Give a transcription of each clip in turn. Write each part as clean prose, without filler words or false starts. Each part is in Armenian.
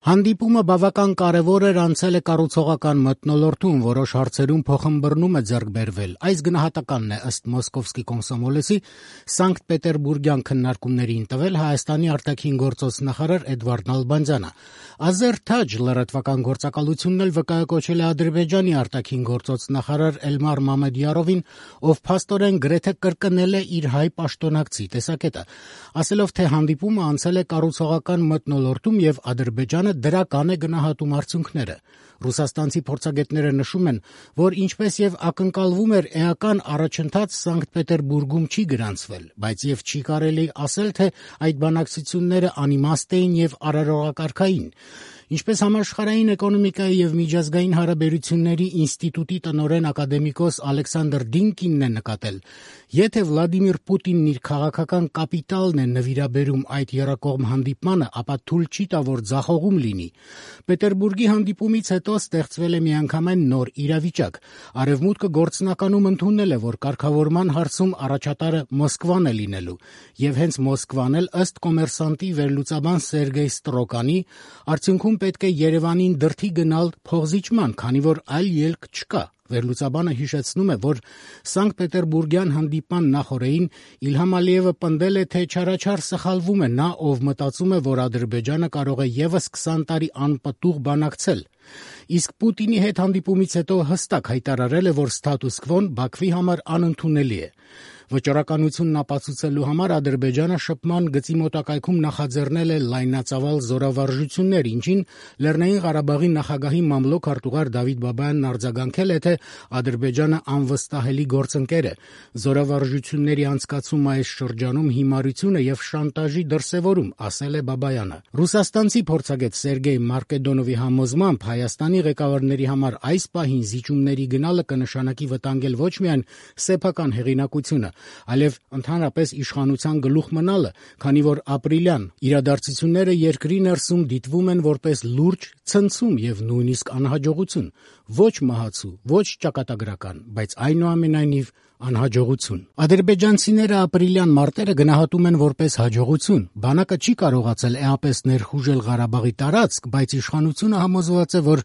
Հանդիպումը բավական կարևոր էր, անցել է կառուցողական մթնոլորտում, որոշ հարցերում փոխըմբռնում է ձեռք բերվել։ Այս գնահատականն է ըստ Մոսկովսկի Կոմսոմոլեսի Սանկտ Պետերբուրգյան քննարկումներին տվել Հայաստանի արտաքին գործոց նախարար Էդվարդ Նալբանդյանը։ Ազերթաջ լրատվական գործակալությունն էլ վկայակոչել է Ադրբեջանի արտաքին գործոց նախարար Էլմար Մամեդյարովին, ով փաստորեն գրեթե կրկնել է իր հայ պաշտոնակցի տեսակետը, ասելով, թե հանդիպումը անցել է կառուցողական մթնոլորտում եւ Ադրբեջանը դրական է գնահատում արդյունքները։ Ռուսաստանցի փորձագետները նշում են, որ ինչպես եւ ակնկալվում էր, էական առաջընթաց Սանկտ Պետերբուրգում չի գրանցվել, բայց եւ չի կարելի ասել, թե այդ բանակցությունները անիմաստ էին եւ արարողակարգային։ Ինչպես Համաշխարհային էկոնոմիկայի եւ միջազգային հարաբերությունների ինստիտուտի տնօրեն ակադեմիկոս Ալեքսանդր Դինկինն է նկատել, եթե Վլադիմիր Պուտինն իր քաղաքական կապիտալն է նվիրաբերում այդ եռակողմ հանդիպմանը, ապա թույլ չի տա, որ ձախողում լինի։ Պետերբուրգի հանդիպումից հետո ստեղծվել է միանգամայն նոր իրավիճակ։ Արևմուտքը գործնականում ընդունել է, որ կարգավորման հարցում առաջատարը Մոսկվան է լինելու, եւ հենց Մոսկվան էլ ըստ կոմերսանտի վերլուծաբան Սերգեյ Ստրոկանի արդյունքում պետք է Երևանին դրդի գնալ փոխզիջման, քանի որ այլ ելք չկա։ Վերլուծաբանը հիշեցնում է, որ Սանկտ Պետերբուրգյան հանդիպման նախօրեին Իլհամ Ալիևը պնդել է, թե չարաչար սխալվում է նա, ով մտածում է, որ Ադրբեջանը կարող է եւս 20 տարի անպտուղ բանակցել։ Իսկ Պուտինի հետ հանդիպումից հետո հստակ հայտարարել է, որ ստատուս քվոն Բաքվի համար անընդունելի է։ Վճռականությունն ապացուցելու համար Ադրբեջանը շփման գծի մոտակայքում նախաձեռնել է լայնածավալ զորավարժություններ, ինչին Լեռնային Ղարաբաղի նախագահի մամլոք արտուղար Դավիթ Բաբայանն արձագանքել է, թե Ադրբեջանը անվստահելի գործընկեր է, զորավարժությունների անցկացումը այս շրջանում հիմարություն է եւ շանտաժի դրսեւորում, ասել է Բաբայանը։ Ռուսաստանցի փորձագետ Սերգեյ Մարկեդոնովի համոզմամբ Հայաստանի ղեկավարների համար այս պահին զիջումների գնալը կնշանակի վտանգել ոչ միայն սեփական հեղինակությունը, այլև ընդհանրապես իշխանության գլուխ մնալը, քանի որ ապրիլյան իրադարձությունները երկրի ներսում դիտվում են որպես լուրջ ցնցում եւ նույնիսկ անհաջողություն, ոչ մահացու, ոչ ճակատագրական, բայց այնուամենայնիվ անհաջողություն։ Ադրբեջանցիները ապրիլյան մարտերը գնահատում են որպես հաջողություն։ Բանակը չի կարողացել էապես ներխուժել Ղարաբաղի տարածք, բայց իշխանությունը համոզված է, որ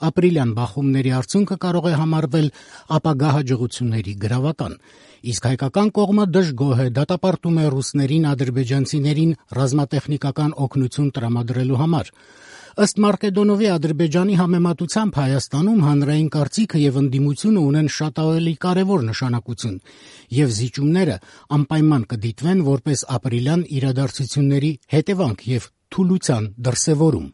ապրիլյան բախումների արդյունքը կարող է համարվել ապագա հաջողությունների գրավական։ Իսկ հայկական կողմը դժգոհ է, դատապարտում է ռուսներին ադրբեջանցիներին ռազմատեխնիկական օգնություն տրամադրելու համար։ Ըստ Մարկեդոնովի, Ադրբեջանի համեմատությամբ Հայաստանում հանրային կարծիքը եւ ընդդիմությունը ունեն շատ ավելի կարեւոր նշանակություն, եւ զիջումները անպայման կդիտվեն որպես ապրիլյան իրադարձությունների հետևանք եւ թուլության դրսեւորում։